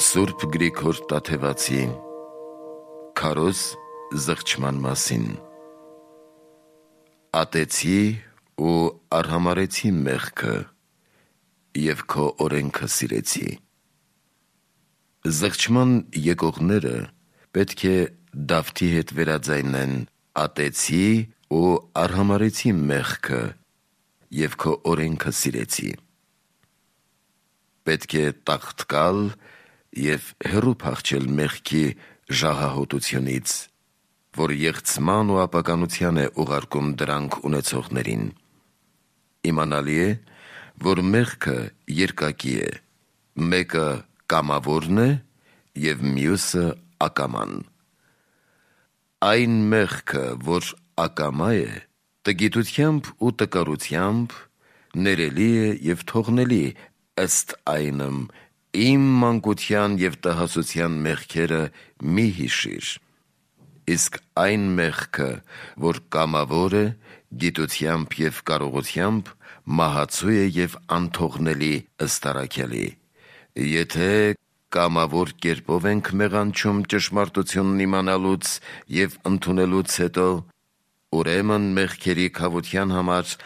Սուրբ Գրիգոր Տաթևացի Քարոզ զղջման մասին։ Ատեցի ու արհամարեցի մեղքը և քո օրենքը սիրեցի։ Զղջման եկողները պետք է Դավթի հետ վերաձայնեն ատեցի ու արհամարեցի մեղքը և քո օրենքը սիրեցի։ Պետք է տաղտկալ և հեռու փախչել մեղքի ժահահոտությունից, որ եղցման ու ապականության է ուղարկում դրանք ունեցողներին։ Իմանալի է, որ մեղքը երկակի է, մեկը կամավորն է և մյուսը ակաման։ Այն մեղքը, որ ակամա է, տգիտությամբ ու տկարությամբ ներելի է և թողնելի, ըստ այնմ իմ մանկության և տհասության մեղքերը մի հիշիր։ Իսկ այն մեղքը, որ կամավոր է, գիտությամբ և կարողությամբ մահացու է և անթողնելի ըստ առաքյալի։ Եթե կամավոր կերպով ենք մեղանչում ճշմարտությունն իմանալուց և ընդունելուց հետո, ուրեմն մեղքերի քավության համար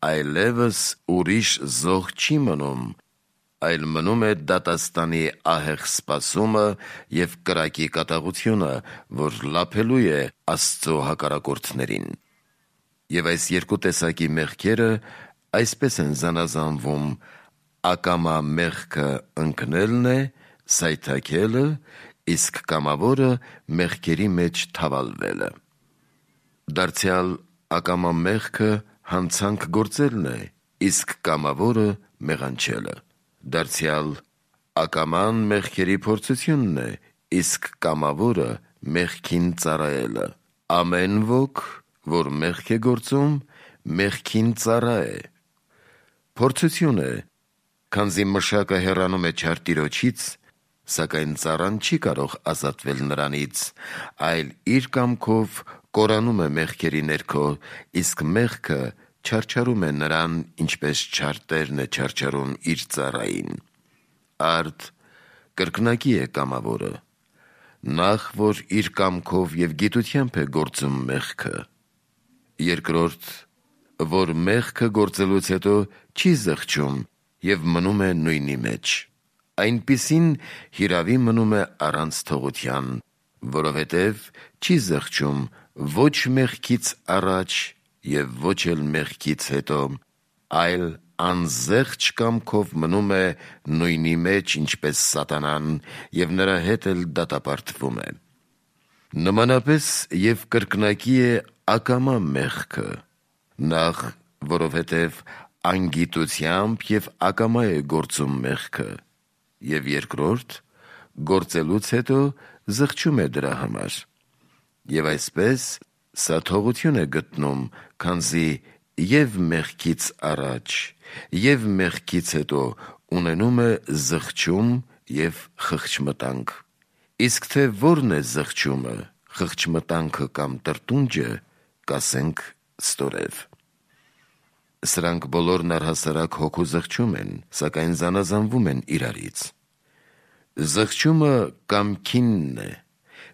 այլևս ուրիշ զոհ չի մնում, այլ մնում է դատաստանի ահեղ սպասումը և կրակի կատաղությունը, որ լափելու է Աստծո հակառակորդներին։ Եվ այս երկու տեսակի մեղքերը այսպես են զանազանվում. ակամա մեղքը ընկնելն է, սայթաքելը, իսկ կամավորը մեղքերի մեջ թավալվելը։ Դարձյալ ակամա մեղքը հանցանք գործելն է, իսկ կամավորը մեղանչելը։ Դարձյալ ակաման մեղքերի փորձությունն է, իսկ կամավորը մեղքին ծառայելը։ Ամեն ոք, որ մեղք է գործում, մեղքին ծառա է։ Փորձություն է, քանզի մշակը հեռանում է չար տիրոջից, սակայն ծառան չի կարող ազատվել նրանից, այլ իր կամքով կորանում է մեղքերի ներքո, իսկ մեղքը չարչարում է նրան, ինչպես չար տերն է չարչարում իր ծառային։ Արդ կրկնակի է կամավորը. նախ, որ իր կամքով և գիտությամբ է գործում մեղքը, երկրորդ, որ մեղքը գործելուց հետո չի զղջում և մնում է նույնի մեջ, այնպիսին հիրավի մնում է առանց թողության, որովհետև չի զղջում ոչ մեղքից առաջ և ոչ էլ մեղքից հետո, այլ անզեղջ կամքով մնում է նույնի մեջ, ինչպես սատանան, և նրա հետ էլ դատապարտվում է։ Նմանապես և կրկնակի է ակամա մեղքը, նախ, որովհետև անգիտությամբ և ակամա է գործում մեղքը, և երկրորդ, գործելուց հետո զղջում է դրա համար։ Եվ այսպես սա թողություն է գտնում, քանզի և մեղքից առաջ, և մեղքից հետո ունենում է զղջում և խղճմտանք։ Իսկ թե որն է զղջումը, խղճմտանքը կամ տրտունջը, կասենք ստորև։ Սրանք բոլորն առհասարակ հոգու զղջում են, սակայն զանազանվում են իրարից։ Զղջումը կամքինն է,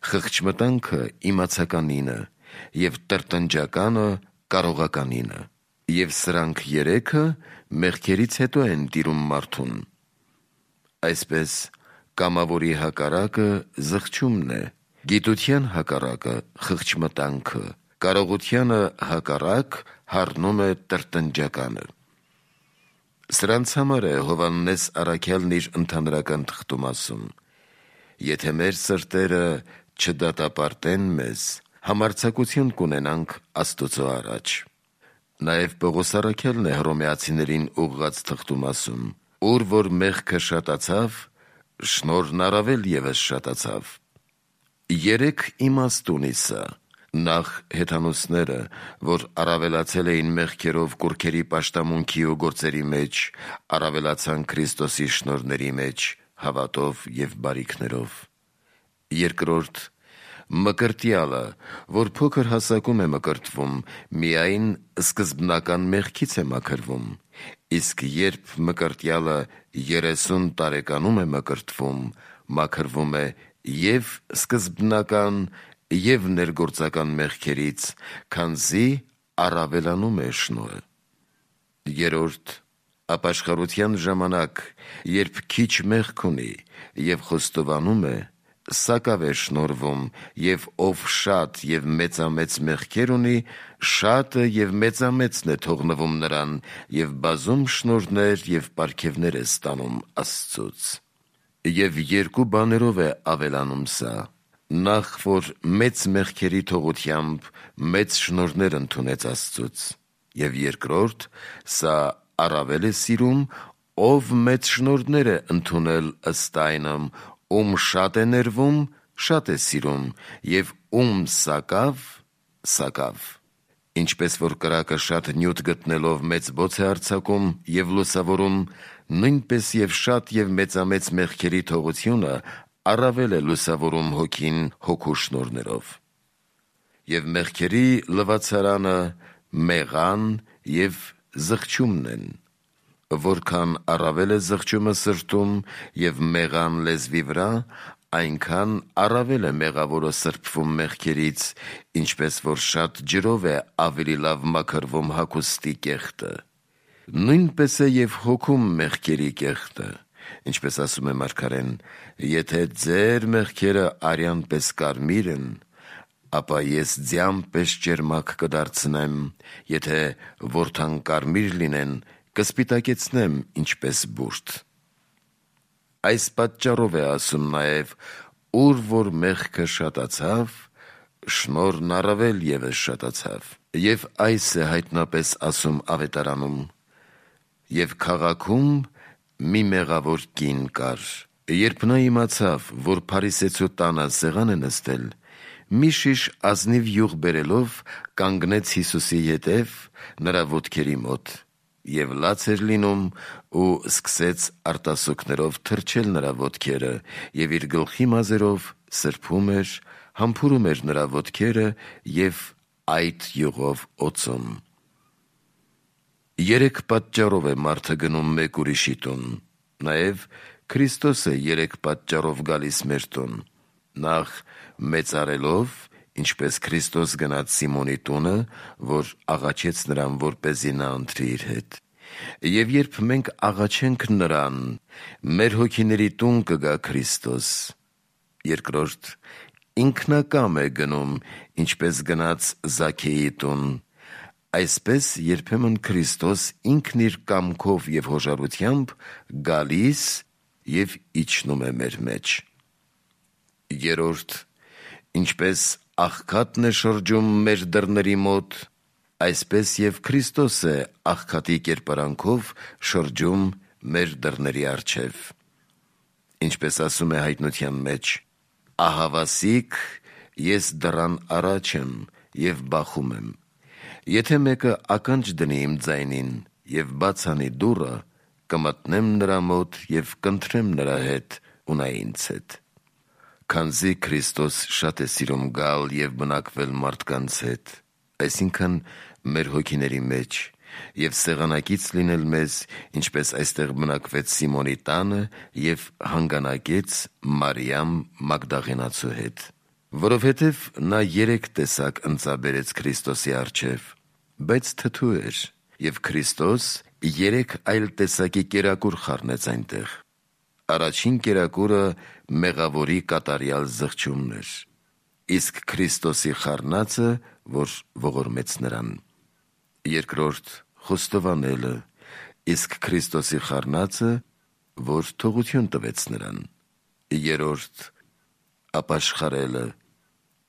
խղճմտանքը իմացականինը, և տրտնջականը կարողականինը, և սրանք երեքը մեղքերից հետո են տիրում մարդուն։ Այսպես կամավորի հակառակը զղջումն է, գիտության հակառակը խղճմտանքը, կարողությանը հակառակ հառնում է տրտնջականը։ Սրանց համար է Հովհաննես առաքյալն իր ընդհանրական թղթում ասում. «Եթե մեր սրտերը չդատապարտեն մեզ, համարձակություն կունենանք Աստուծո առաջ»։ Նաև Պողոս առաքյալն է Հռոմեացիներին ուղղած թղթում ասում. «Ուր որ մեղքը շատացավ, շնորհն առավել ևս շատացավ»։ Երեք իմաստ ունի սա. նախ հեթանոսները, որ առավելացել էին մեղքերով կուռքերի պաշտամունքի ու գործերի մեջ, առավելացան Քրիստոսի շնորհների մեջ, հավատով և բարիքներով։ Երկրորդ, մկրտյալը, որ փոքր հասակում է մկրտվում, միայն սկզբնական մեղքից է մաքրվում, իսկ երբ մկրտյալը 30 տարեկանում է մկրտվում, մաքրվում է և սկզբնական և ներգործական մեղքերից, քանզի առավելանում է շնորհը։ Երրորդ, ապաշխարության ժամանակ, երբ քիչ մեղք ունի և խոստովանում է, սակավ է շնորհվում, և ով շատ և մեծամեծ մեղքեր ունի, շատը և մեծամեծն է թողնվում նրան, և բազում շնորհներ և պարգևներ է ստանում Աստծուց։ Եվ երկու բաներով է ավելանում սա. նախ, որ մեծ մեղքերի թողությամբ մեծ շնորհներ ընդունեց Աստծուց, և երկրորդ, սա առավել է սիրում, ով մեծ շնորհներ է ընդունել ըստ այնմ, ում շատ է ներվում, շատ է սիրում, և ում սակավ, սակավ։ Ինչպես որ կրակը շատ նյութ գտնելով մեծ բոց է արձակում և լուսավորում, նույնպես և շատ և մեծամեծ մեղքերի թողությունը առավել է լուսավորում հոգին հոգու շնորհներով։ Եվ մեղքերի լվացարանը մեղան և զղջումն են։ Որքան առավել է զղջումը սրտում և մեղան լեզվի վրա, այնքան առավել է մեղավորը սրբվում մեղքերից, ինչպես որ շատ ջրով է ավելի լավ մաքրվում հագուստի կեղտը։ Նույնպես է և հոգում մեղքերի կեղտը, ինչպես ասում է մարգարեն. «Եթե ձեր մեղքերը արյան պես կարմիր են, ապա ես ձյան պես ճերմակ կդարձնեմ, եթե որդան կարմիր լինեն, կսպիտակեցնեմ ինչպես բուրդ»։ Այս պատճառով է ասում նաև. «Ուր որ մեղքը շատացավ, շնորհն առավել ևս շատացավ»։ Եվ այս է հայտնապես ասում ավետարանում. «Եվ քաղաքում մի մեղավոր կին կար. երբ նա իմացավ, որ փարիսեցու տանը սեղան է նստել, մի շիշ ազնիվ յուղ բերելով, կանգնեց Հիսուսի ետև նրա ոտքերի մոտ, և լաց էր լինում ու սկսեց արտասուքներով թրջել նրա ոտքերը և իր գլխի մազերով սրբում էր, համբուրում էր նրա ոտքերը և այդ յուղով օծում»։ Երեք պատճառով է մարդը գնում մեկ ուրիշի տուն, նաև Քրիստոս է երեք պատճառով գալիս մեր տուն. նախ մեծարելով, ինչպես Քրիստոս գնաց Սիմոնի տունը, որ աղաչեց նրան, որպեսզի նա ընթրի իր հետ։ Եվ երբ մենք աղաչենք նրան, մեր հոգիների տուն կգա Քրիստոս։ Երկրորդ, ինքնակամ է գնում, ինչպես գնաց Զաքեի տուն։ Այսպես երբեմն Քրիստոս ինքն իր կամքով և հոժարությամբ գալիս և իջնում է մեր մեջ։ Երրորդ, ինչպես աղքատն է շրջում մեր դռների մոտ, այսպես և Քրիստոս է աղքատի կերպարանքով շրջում մեր դռների առջև։ Ինչպես ասում է հայտնության մեջ. «Ահավասիկ ես դռան առաջ եմ և բախում եմ. եթե մեկը ականջ դնի իմ ձայնին և բաց անի դուռը, կմտնեմ նրա մոտ և կընթրեմ նրա հետ ու նա ինձ հետ»։ Քանզի Քրիստոս շատ է սիրում գալ և բնակվել մարդկանց հետ, այսինքն մեր հոգիների մեջ, և սեղանակից լինել մեզ, ինչպես այստեղ բնակվեց Սիմոնի տանը և հանգանակեց Մարիամ Մագդաղենացու հետ։ Որովհետև նա երեք տեսակ ընծա բերեց Քրիստոսի առջև, բայց թթու էր, և Քրիստոս երեք այլ տեսակի կերակուր խառնեց այնտեղ։ Առաջին կերակուրը մեղավորի կատարյալ զղջումն էր, իսկ Քրիստոսի խառնածը, որ ողորմեց նրան։ Երկրորդ խոստովանելը, իսկ Քրիստոսի խառնածը, որ թողություն տվեց նրան։ Երրորդ ապաշխարելը,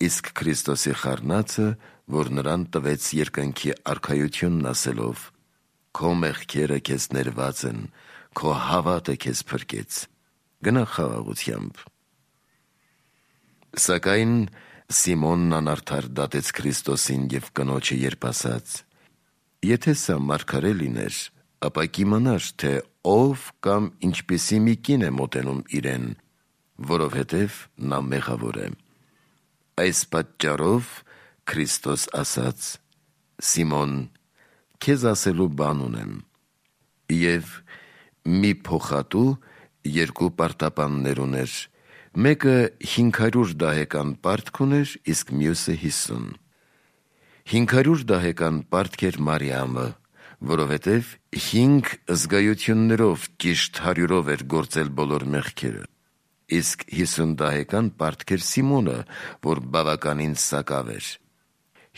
իսկ Քրիստոսի խառնածը, որ նրան տվեց երկնքի արքայությունն ասելով. «Քո մեղքերը քեզ ներված են, քո հավատը քեզ փրկեց, գնա խաղաղությամբ»։ Սակայն Սիմոնն անարդար դատեց Քրիստոսին և կնոջը, երբ ասաց. «Եթե սա մարգարե լիներ, ապա կիմանար, թե ով կամ ինչպիսի մի կին է մոտենում իրեն, որովհետև նա մեղավոր է»։ Այս պատճառով Քրիստոս ասաց. «Սիմոն, քեզ ասելու բան ունեմ»։ Եվ մի փոխատու երկու պարտապաններ ուներ, մեկը 500 դահեկան պարտք ուներ, իսկ մյուսը 50։ 500 դահեկան պարտք էր Մարիամը, որովհետև 5 զգայություններով ճիշտ 100-ով էր գործել բոլոր մեղքերը, իսկ 50 դահեկան պարտք էր Սիմոնը, որ բավականին սակավ էր։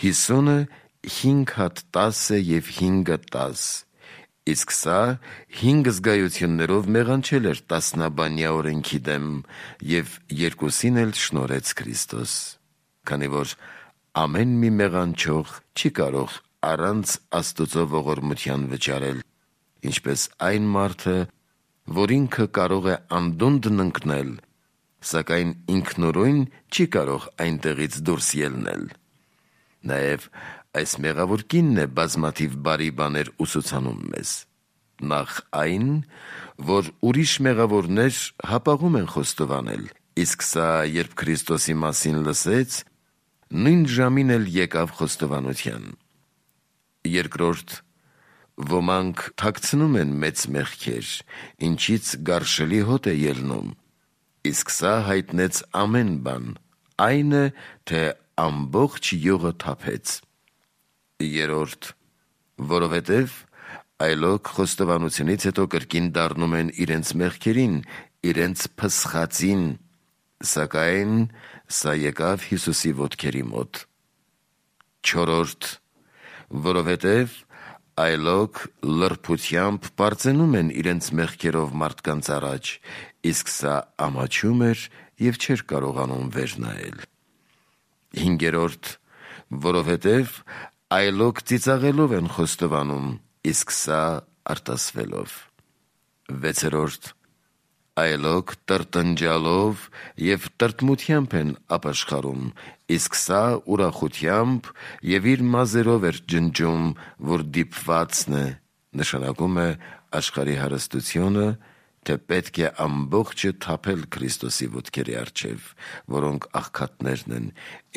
50-ը 5 հատ 10 է և 5-ը 10, իսկ սա 5 զգայություններով մեղանչել էր տասնաբանյա օրենքի դեմ և երկուսին էլ շնորհեց Քրիստոս, քանի որ ամեն մի մեղանչող չի կարող առանց Աստծո ողորմության վճարել, ինչպես այն մարդը, որ ինքը կարող է անդունդն ընկնել, սակայն ինքնուրույն չի կարող այնտեղից դուրս ելնել։ Նաև այս մեղավոր կինն է բազմաթիվ բարի բաներ ուսուցանում մեզ։ Նախ այն, որ ուրիշ մեղավորներ հապաղում են խոստովանել, իսկ սա, երբ Քրիստոսի մասին լսեց, նույն ժամին էլ եկավ խոստովանության։ Երկրորդ, ոմանք թաքցնում են մեծ մեղքեր, ինչից գարշելի հոտ է ելնում, իսկ սա հայտնեց ամեն բան, այն է, թե ամբողջ յուղը թափեց։ Երրորդ, որովհետև այլոք խոստովանությունից հետո կրկին դառնում են իրենց մեղքերին, իրենց փսխածին, սակայն սա եկավ Հիսուսի ոտքերի մոտ։ Չորրորդ, որովհետև այլոք լրբությամբ պարծենում են իրենց մեղքերով մարդկանց առաջ, իսկ սա ամաչում էր և չէր կարողանում վեր նայել։ Հինգերորդ, որովհետև այլոք ծիծաղելով են խոստովանում, իսկ սա արտասվելով։ Վեցերորդ, այլոք տրտնջալով և տրտմությամբ են ապաշխարում, իսկ սա ուրախությամբ և իր մազերով էր ջնջում, որ դիպվածն է, նշանակում է աշխարհի հարստությունը, թե պետք է ամբողջը թափել Քրիստոսի ոտքերի առջև, որոնք աղքատներն են,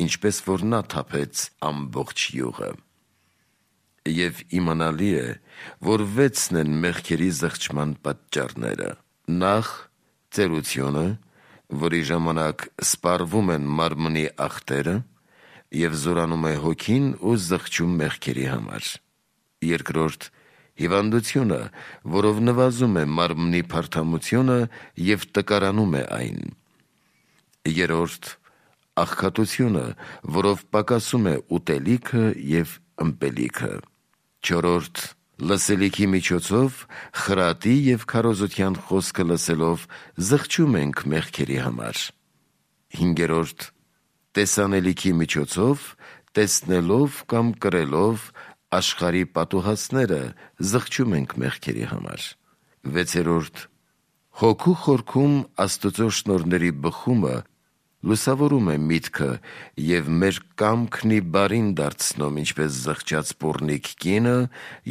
ինչպես որ նա թափեց ամբողջ յուղը։ Եվ իմանալի է, որ 6-ն են մեղքերի զղջման պատճառները. նախ ծերությունը, որի ժամանակ սպառվում են մարմնի ախտերը և զորանում է հոգին ու զղջում մեղքերի համար. երկրորդ հիվանդությունը, որով նվազում է մարմնի փարթամությունը և տկարանում է այն. երրորդ աղքատությունը, որով պակասում է ուտելիքը և ըմպելիքը։ Չորրորդ լսելիքի միջոցով խրատի և քարոզության խոսքը լսելով զղջում ենք մեղքերի համար։ Հինգերորդ տեսանելիքի միջոցով տեսնելով կամ կրելով աշխարհի պատուհասները զղջում ենք մեղքերի համար։ Վեցերորդ հոգու խորքում Աստծո շնորհների բխումը լուսավորում է միտքը և մեր կամքն ի բարին դարձնում, ինչպես զղջաց պոռնիկ կինը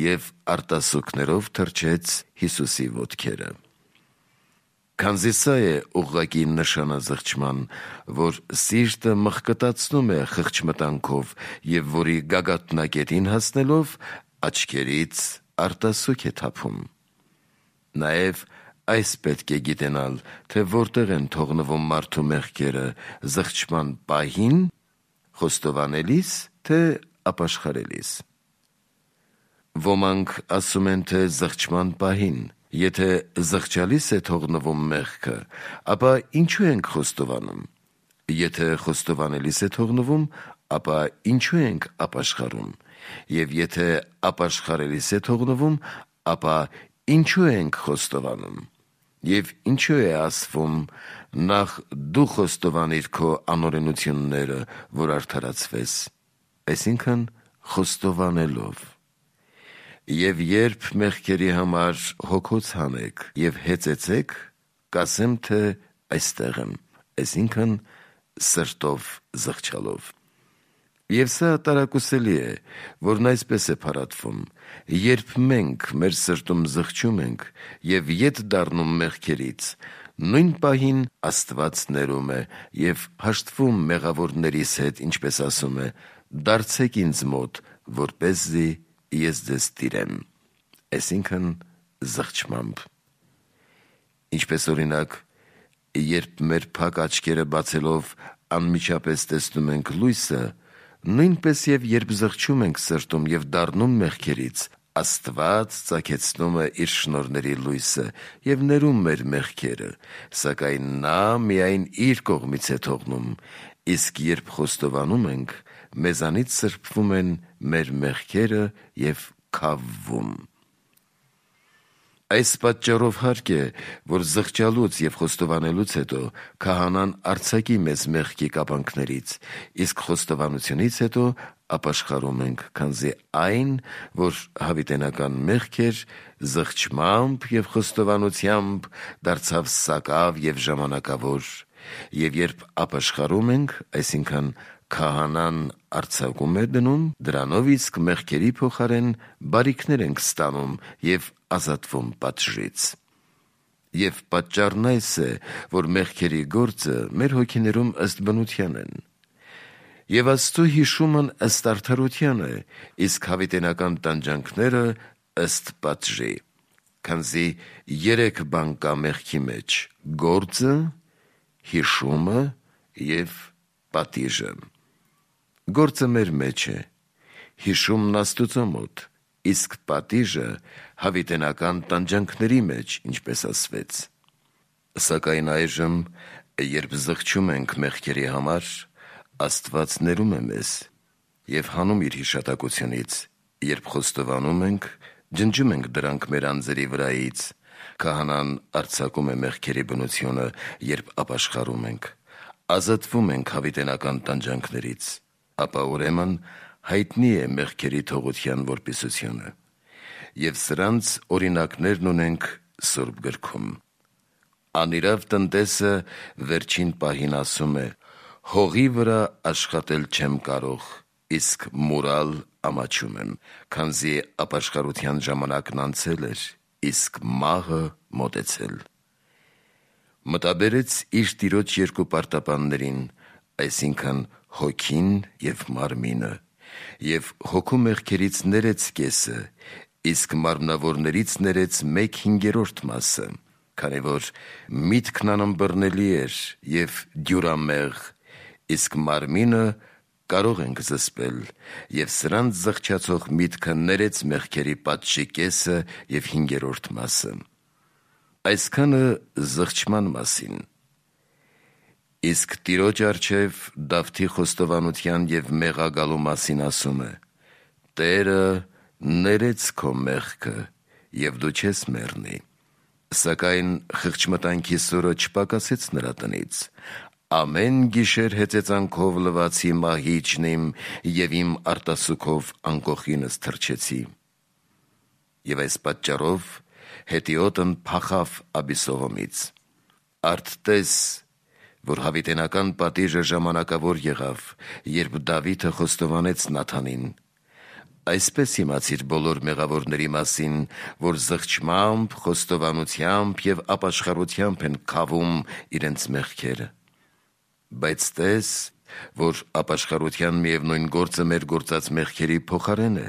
և արտասուքներով թրջեց Հիսուսի ոտքերը։ Քանզի սա է ուղղակի նշանը զղջման, որ սիրտը մխկտացնում է խղճմտանքով և որի գագաթնակետին հասնելով աչքերից արտասուք է թափում։ Նաև այս պետք է գիտենալ, թե որտեղ են թողնվում մարդու մեղքերը զղջման պահին, խոստովանելիս, թե ապաշխարելիս։ Ոմանք ասում են, թե զղջման պահին, եթե զղջալիս է թողնվում մեղքը, ապա ինչու ենք խոստովանում, եթե խոստովանելիս է թողնվում, ապա ինչու ենք ապաշխարում, և եթե ապաշխարելիս է թողնվում, ապա ինչու ենք խոստովանում, և ինչու է ասվում. նախ դու խոստովանիր քո անօրենությունները, որ արդարացվես, այսինքն խոստովանելով։ Եվ երբ մեղքերի համար հոգոց հանեք և հեծեցեք, կասեմ, թե այստեղ եմ, այսինքն սրտով զղջալով։ Եվ սա տարակուսելի է, որն այսպես է փառատվում. երբ մենք մեր սրտում զղջում ենք և ետ դառնում մեղքերից, նույն պահին Աստված ներում է և հաշտվում մեղավորներիս հետ, ինչպես ասում է. դարձեք ինձ մոտ, որպեսզի ես ձեզ տիրեմ, այսինքն զղջմամբ։ Ինչպես օրինակ, Երբ մեր փակ աչքերը բացելով անմիջապես տեսնում ենք լույսը, նույնպես եւ երբ զղջում ենք սրտում եւ դառնում մեղքերից, Աստված ծագեցնում է իր շնորհների լույսը եւ ներում մեր մեղքերը, սակայն նա միայն իր կողմից է թողնում, իսկ երբ խոստովանում ենք, մեզանից սրբվում են մեր մեղքերը եւ քավվում։ Այս պատճառով հարկ է, որ զղջալուց եւ խոստովանելուց հետո քահանան արձակի մեզ մեղքի կապանքներից, իսկ խոստովանությունից հետո ապաշխարում ենք, քանզի այն, որ հավիտենական մեղք էր, զղջմամբ եւ խոստովանությամբ դարձավ սակավ եւ ժամանակավոր, եւ երբ ապաշխարում ենք, այսինքն քահանան արձակում է դնում, դրանով իսկ մեղքերի փոխարեն բարիքներ ենք ստանում եւ ազատվում պատժից։ Եվ պատճառն այս է, որ մեղքերի գործը մեր հոգիներում ըստ բնության են։ Եվ Աստծո հիշումն ըստ արդարության է, իսկ հավիտենական տանջանքները ըստ պատժի։ Քանզի 3 բան կա մեղքի մեջ՝ գործը, հիշումը եւ պատիժը։ Գործը մեր մեջ է, հիշումն Աստուծո մոտ, իսկ պատիժը հավիտենական տանջանքների մեջ, ինչպես ասվեց։ Սակայն այժմ, երբ զղջում ենք մեղքերի համար, Աստված ներում է մեզ եւ հանում իր հիշատակությունից, երբ խոստովանում ենք, ջնջում ենք դրանք մեր անձերի վրայից, քահանան արձակում է մեղքերի բնությունը, երբ ապաշխարում ենք, ազատվում ենք հավիտենական տանջանքներից, ապա ուրեմն հայտնի է մեղքերի թողության որպիսությունը, եւ սրանց օրինակներն ունենք Սուրբ գրքում։ Անիրավ տնտեսը վերջին պահին ասում է. «Հողի վրա աշխատել չեմ կարող, իսկ մուրալ ամաչում եմ, քանզի ապաշխարության ժամանակն անցել էր, իսկ մահը մոտեցել»։ Մտաբերեց իր տիրոջ 2 պարտապաններին, այսինքն հոգին եւ մարմինը, եւ հոգու մեղքերից ներեց կեսը, իսկ մարմնավորներից ներեց 1/5 մասը, քանի որ միտքն անըմբռնելի էր եւ դյուրամեղ, իսկ մարմինը կարող ենք զսպել, եւ սրանց զղջացող միտքը ներեց մեղքերի պատժի կեսը եւ 5/5 մասը։ Այսքանը զղջման մասին։ Իսկ Տիրոջ առջև Դավթի խոստովանության եւ մեղագալու մասին ասում է. «Տերը ներեց քո մեղքը, եւ դու չես մեռնի»։ Սակայն խղճմտանքի սուրը չպակասեց նրա տնից. «Ամեն գիշեր հեծեծանքով լվացի մահիճն իմ եւ իմ արտասուքով անկոխինս թրջեցի»։ Եվ այս պատճառով հետիոտն փախավ Աբիսողոմից։ Արդ տես, որ հավիտենական պատիժը ժամանակավոր եղավ, երբ Դավիթը խոստովանեց Նաթանին. «Այսպես իմացիր բոլոր մեղավորների մասին, որ զղջմամբ, խոստովանությամբ եւ ապաշխարությամբ են քավում իրենց մեղքերը։ Բայց տես, որ ապաշխարության միևնույն գործը մեր գործած մեղքերի փոխարեն է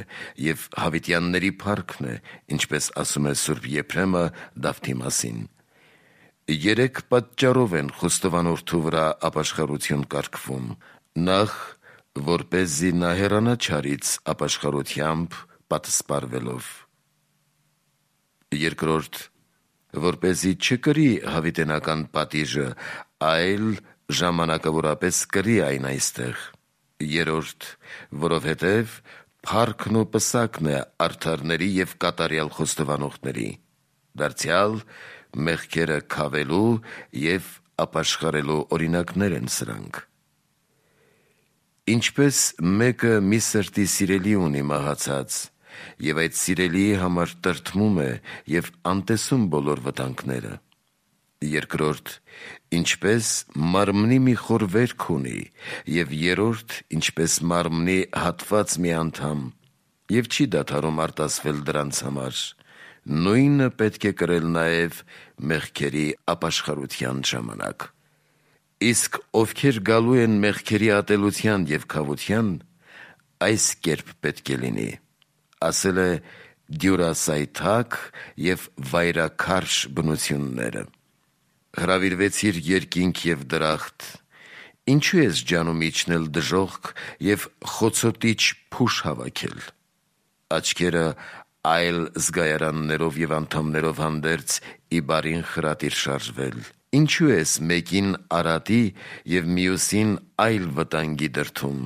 եւ հավիտյանների փառքն է, ինչպես ասում է Սուրբ Եփրեմը Դավթի մասին. 3 պատճառով են խոստովանորդու վրա ապաշխարություն կարգվում. նախ, որպեսզի նա հեռանա չարից ապաշխարությամբ պատսպարվելով. երկրորդ, որպեսզի չկրի հավիտենական պատիժը, այլ ժամանակավորապես կրի այն այստեղ. երրորդ, որովհետև փառքն ու պսակն է արդարների եւ կատարյալ խոստովանողների, դարձյալ մեղքերը քավելու եւ ապաշխարելու օրինակներ են սրանք։ Ինչպես մեկը մի սրտի սիրելի ունի մահացած, եւ այդ սիրելիի համար տրտմում է եւ անտեսում բոլոր վտանգները, երկրորդ, ինչպես մարմնի մի խոր վերք ունի, եւ երրորդ, ինչպես մարմնի հատված մի անդամ, եւ չի դադարում արտասվել դրանց համար, նույնը պետք է կրել նաեւ մեղքերի ապաշխարության ժամանակ։ Իսկ ովքեր գալու են մեղքերի ատելության եւ քավության, այս կերպ պետք է լինի, ասել է դյուրասայթակ եւ վայրաքարշ բնությունները։ հրավիրվեցիր երկինք և դրախտ, ինչու ես ջանում իջնել դժոխք և խոցոտիչ փուշ հավաքել, աչքերը այլ զգայարաններով և անդամներով հանդերձ ի բարին խրատիր շարժվել, ինչու ես մեկին արատի և մյուսին այլ վտանգի դրդում,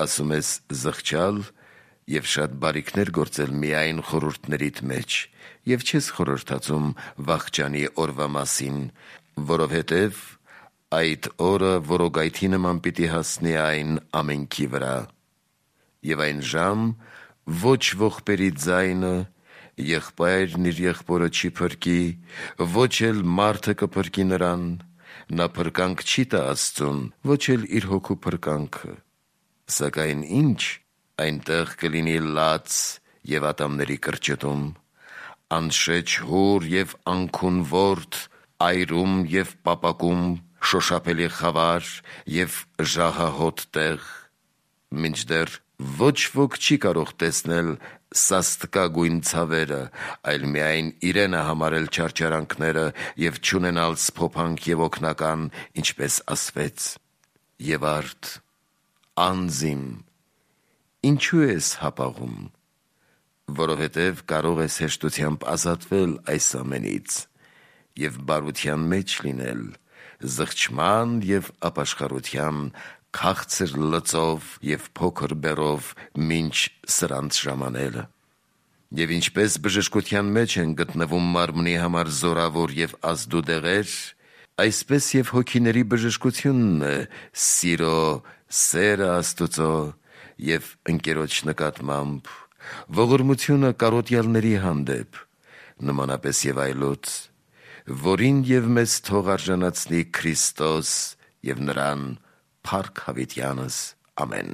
ասում ես զղջալ և շատ բարիքներ գործել միայն խորհուրդներիդ մեջ և չես խորհրդածում վախճանի օրվա մասին, որովհետև այդ օրը որոգայթի նման պիտի հասնի այն ամենքի վրա, և այն ժամ ոչ ողբերի ձայնը, եղբայրն իր եղբորը չի փրկի, ոչ էլ մարդը կփրկի նրան, նա փրկանք չի տա Աստծուն, ոչ էլ իր հոգու փրկանքը, սակայն ինչ, այնտեղ կլինի լաց և ատամների կրճտում, անշեջ հուր և անքուն ворդ, այրում և պապակում, շոշափելի խավար և ժահահոտ տեղ, մինչդեռ ոչ ոք չի կարող տեսնել սաստկագույն ցավերը, այլ միայն իրենը համարել չարչարանքները և չունենալ սփոփանք և օգնական, ինչպես ասվեց. և արդ, անձ իմ, ինչու ես հապաղում, որովհետև կարող ես հեշտությամբ ազատվել այս ամենից և բարության մեջ լինել, զղջման և ապաշխարության քաղցր լծով և փոքր բեռով մինչ սրանց ժամանելը, և ինչպես բժշկության մեջ են գտնվում մարմնի համար զորավոր և ազդու դեղեր, այսպես և հոգիների բժշկությունն է սիրո սերը Աստուծո և ընկերոջ նկատմամբ, ողորմությունը կարոտյալների հանդեպ, նմանապես և այլոց, որին և մեզ թող արժանացնի Քրիստոս և նրան փառք հավիտյանս, ամեն։